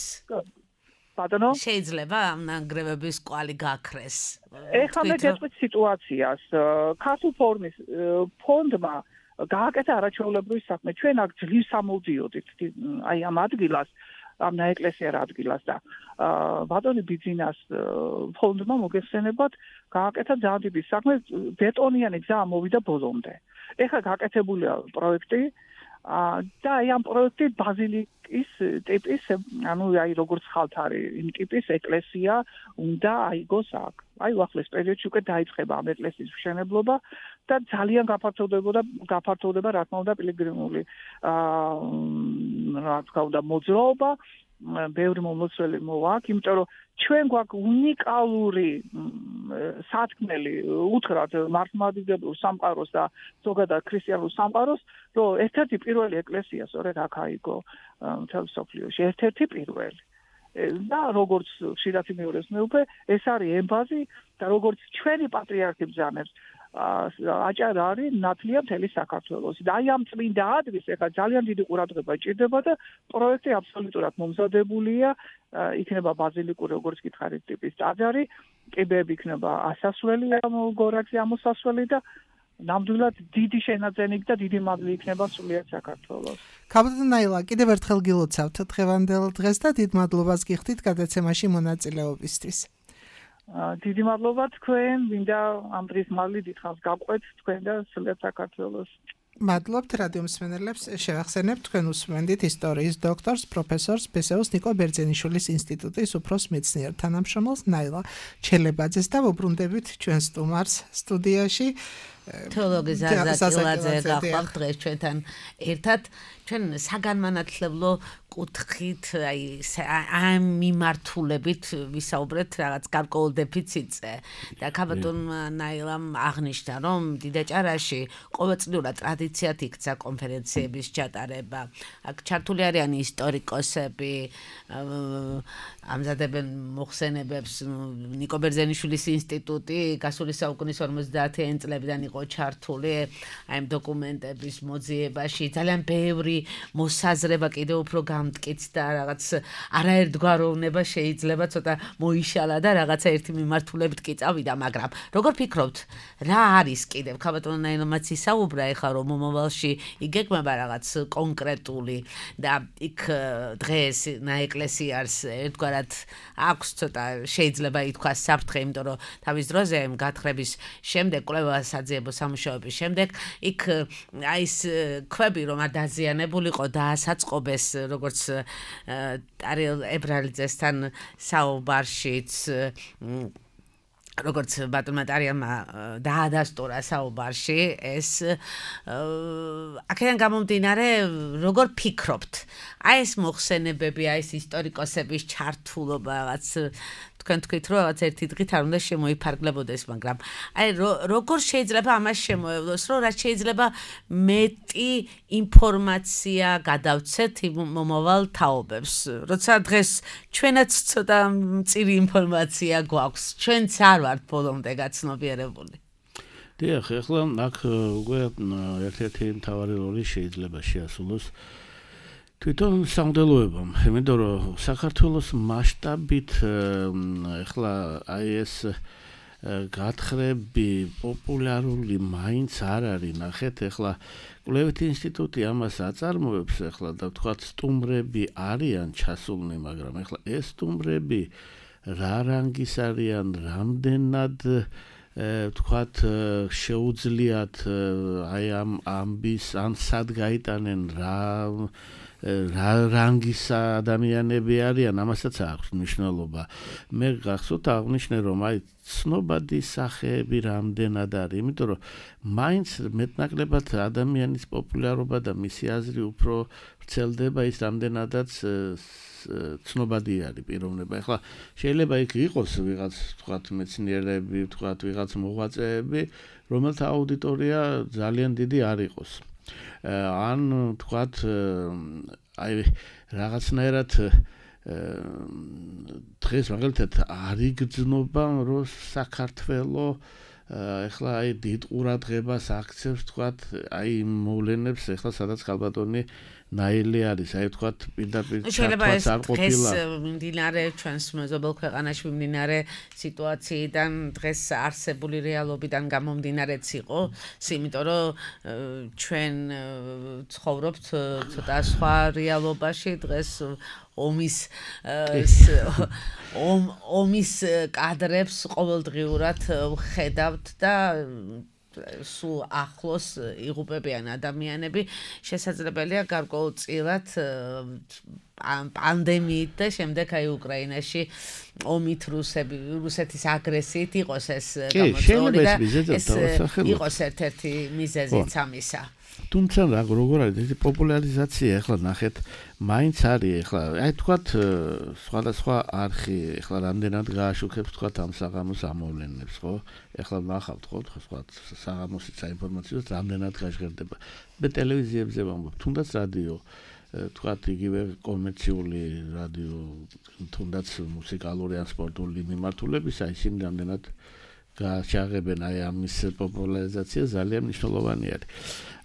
ბატონო, შეიძლება ამ ნანგრევების კვალი გაქრეს? ეხლა მე გეტყვით სიტუაციას. ქართულ ფორმის ფონდმა გააკეთა არაჩვეულებრივი საქმე. ჩვენ აქ ძლივს ამოვდიოდით აი ამ ადგილას, ამ ნაეკლესიარ ადგილას და ბატონი ბიძინას ფონდმა მოგეხსენებათ გააკეთა ძალიან დიდი საქმე, ბეტონიანი გზა ამოვიდა ბოლომდე. ეხლა გაკეთებულია პროექტი და აი ამ პროექტი ბაზილიკის ტიპის, ანუ აი როგორც ხალთ არის იმ ტიპის ეკლესია უნდა აიგოს აქ. აი უახლეს პერიოდში უკვე დაიწყება ამ ეკლესიის მშენებლობა და ძალიან გაფართოვდება გაფართოვდება რა თქმა უნდა პილიგრიმული აა რა თქმა უნდა მოძრაობა ბევრი მომლოცველი მოვაქვს, იმიტომ რომ ჩვენ გვაქვს უნიკალური სათქმელი უთხრათ მართლმადიდებელ სამყაროს და ზოგადად ქრისტიანულ სამყაროს, რომ ერთ-ერთი პირველი ეკლესია სწორედ აქ აიგო მთელ მსოფლიოში, ერთ-ერთი პირველი. და როგორც ხშირად მეორეს მეუბნე, ეს არის ემბაზი და როგორც ჩვენი პატრიარქი ბრძანებს, აჭარა არის ნათლია მთელი საქართველოს. და აი ამ წმინდა ადგილს ეხლა ძალიან დიდი ყურადღება ჭირდება და პროექტი აბსოლუტურად მომზადებულია, იქნება ბაზილიკური, როგორც გითხარით, ტიპის ტაძარი, კიბეები იქნება ასასვლელი ამ გორაკზე ამოსასვლელი და ნამდვილად დიდი შენაძენი და დიდი მადლი იქნება სულიად საქართველოს. კაპიტან ნაილა, კიდევ ერთხელ გილოცავთ დღევანდელ დღეს და დიდ მადლობას გიხდით გადაცემაში მონაწილეობისთვის. დიდი მადლობა თქვენ, ვინდა ამ დღის მადლი დიდხანს გავყვეთ თქვენ და სულიად საქართველოს. მადლობთ რადიო მსმენელებს, შევახსენებთ თქვენ უსმენდით ისტორიის დოქტორს, პროფესორს ბესეოს ნიკო ბერძენიშვილის ინსტიტუტის უფროს მეცნიერ თანამშრომელს ნაილა ჩელებაძეს და ვუბრუნდებით ჩვენ სტუმარს სტუდიაში. თეოლოგი ზაზა კილაძე გახლავთ დღეს ჩვენთან ერთად. ჩვენ საგანმანათლებლო კუთხით, აი ამ მიმართულებით ვისაუბრეთ რაღაც გარკვეულ დეფიციტზე და კაპიტან ნაილამ აღნიშნა, რომ დიდაჭარაში ყოველწლიურად ტრადიციად იქცა კონფერენციების ჩატარება. აქ ჩართული არიან ისტორიკოსები, ამზადებენ მოხსენებებს, ნიკო ბერძენიშვილის ინსტიტუტი გასული საუკუნის ორმოცდაათიანი წლებიდან იყო ჩართული აი ამ დოკუმენტების მოძიებაში. ძალიან ბევრი მოსაზრება კიდევ უფრო გამტკიცდა, რაღაც არაერთგვაროვნება შეიძლება ცოტა მოიშალა და რაღაცა ერთი მიმართულებით კი წავიდა, მაგრამ როგორ ფიქრობთ, რა არის კიდევ კაპიტან ნაილამაც ისაუბრა ეხლა რომ მომავალში იგეგმება რაღაც კონკრეტული და იქ დღეს ნაეკლესიარს ერთგვარად აქვს ცოტა შეიძლება ითქვას საფრთხე, იმიტომ რომ თავის დროზე გათხრების შემდეგ კვლევა საძიებო სამუშაოების შემდეგ იქ აი ეს ქვები რომ არ დაზიანებულიყო და ასაწყობეს როგორც ტარიელ ებრალიძესთან საუბარშიც როგორც ბატონმა ტარიელმა დაადასტურა საუბარში ეს აქედან გამომდინარე როგორ ფიქრობთ აი ეს მოხსენებები აი ეს ისტორიკოსების ჩართულობა რაღაც თქვენ თქვით რომ რაღაც ერთი დღით არ უნდა შემოიფარგლებოდეს, მაგრამ აი როგორ შეიძლება ამას შემოევლოს, რომ რაც შეიძლება მეტი ინფორმაცია გადავცეთ მომავალ თაობებს, როცა დღეს ჩვენაც ცოტა მწირი ინფორმაცია გვაქვს, ჩვენც არ ვართ ბოლომდე გაცნობიერებული. დიახ, ახლა აქ უკვე ერთ-ერთი მთავარი როლი შეიძლება შეასრულოს თვითონ სამღვდელოებამ, იმიტომ რომ საქართველოს მასშტაბით ახლა აი ეს გათხრები პოპულარული მაინც არ არის. ნახეთ, ახლა კვლევითი ინსტიტუტი ამას აწარმოებს ახლა და ვთქვათ სტუმრები არიან ჩასულნი, მაგრამ ახლა ეს სტუმრები რა რანგის არიან, რამდენად ვთქვათ შეუძლიათ აი ამ ამბის ან სად გაიტანენ რა რა რანგის ადამიანები არიან, ამასაც აქვს მნიშვნელობა. მე გახსოვთ აღნიშნე რომ აი ცნობადი სახეები რამდენად არის, იმიტომ რომ მაინც მეტნაკლებად ადამიანის პოპულარობა და მისი აზრი უფრო ვრცელდება ის რამდენადაც ცნობადი არის პიროვნება. ახლა შეიძლება იქ იყოს ვიღაც ვთქვათ მეცნიერები, ვთქვათ ვიღაც მოღვაწეები, რომელთა აუდიტორია ძალიან დიდი არ იყოს. ან ვთქვათ აი რაღაცნაირად დღეს მაგალითად არ იგრძნობა რომ საქართველო ეხლა აი დიდ ყურადღებას აქცევს ვთქვათ აი მოვლენებს ეხლა სადაც ქალბატონი ნაილი არის, აი ვთქვათ პირდაპირ ჩართვაც არ ყოფილა. დღეს მიმდინარე ჩვენს მეზობელ ქვეყანაში მიმდინარე სიტუაციიდან დღეს არსებული რეალობიდან გამომდინარეც იყო, იმიტომ რომ ჩვენ ცხოვრობთ ცოტა სხვა რეალობაში დღეს ომის ომის კადრებს ყოველდღიურად ვხედავთ და სულ ახლოს იღუპებიან ადამიანები, შესაძლებელია გარკვეულწილად პანდემიით და შემდეგ აი უკრაინაში ომით რუსები რუსეთის აგრესიით იყოს ეს გამოწვეული და ეს იყოს ერთ-ერთი მიზეზიც ამისა. თუმცა რა როგორ არის ეს პოპულარიზაცია ახლა ნახეთ მაინც არის ახლა აი თქვათ სხვადასხვა არხი ახლა რამდენად გააშუქებს თქვათ ამ საღამოს ამოვლენებს ხო ახლა ნახავთ ხო სხვა საღამოსის საინფორმაციო რამდენად გაჟღერდება მე ტელევიზიებზე ვამბობ თუნდაც რადიო თქვათ იგივე კომერციული რადიო თუნდაც მუსიკალური ან სპორტული მიმართულებისა ისინი რამდენად გაჩაღებენ აი ამის პოპულარიზაცია ძალიან მნიშვნელოვანი არის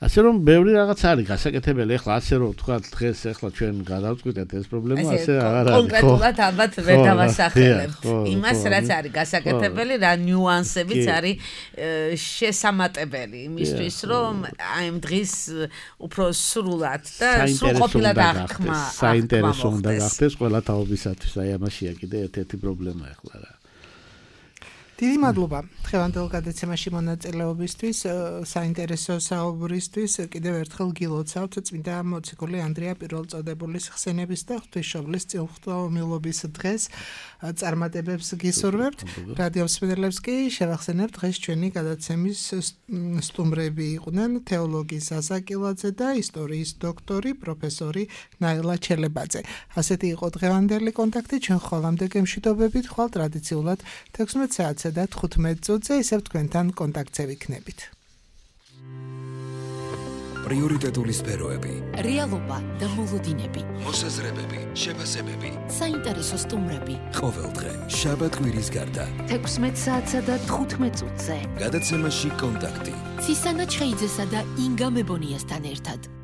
ასე რომ ბევრი რაღაც არის გასაკეთებელი ახლა ასე რომ თქვა დღეს ახლა ჩვენ გადავწყვიტეთ ეს პრობლემა ასე აღარ არის კონკრეტულად ალბათ ვერ დავასახელებთ იმას რაც არის გასაკეთებელი რა ნიუანსებიც არის შესამატებელი იმისთვის რომ აი ამ დღის უფრო სრულად და სრულყოფილად აღქმა საინტერესო უნდა გახდეს ყველა თაობისათვის აი ამაშია კიდე ერთ-ერთი პრობლემა ახლა რა დიდი მადლობა დღევანდელ გადაცემაში მონაწილეობისთვის, საინტერესო საუბრისთვის. კიდევ ერთხელ გილოცავთ წმინდა მოციქული ანდრია პირველწოდებულის ხსენების და ღვთისმშობლის წილხტომილობის დღეს წარმატებებს გისურვებთ. რადიო მსმენელებს კი შევახსენებთ დღეს ჩვენი გადაცემის სტუმრები იყვნენ თეოლოგი ზაზა კილაძე და ისტორიის დოქტორი პროფესორი ნაილა ჩელებაძე. ასეთი იყო დღევანდელი კონტაქტი. ჩვენ ხოლმე გემშვიდობებით ხვალ ტრადიციულად თექვსმეტ საათზე და თხუთმეტ წუთზე ისევ თქვენთან კონტაქტზე ვიქნებით. პრიორიტეტული სფეროები, რეალობა და მოლოდინები, მოსაზრებები, შეფასებები, საინტერესო სტუმრები. ყოველდღე, შაბათ-კვირის გარდა, თექვსმეტ საათსა და თხუთმეტ წუთზე. გადაცემაში კონტაქტი. ცისანა ჩხეიძესა და ინგა მებონიასთან ერთად.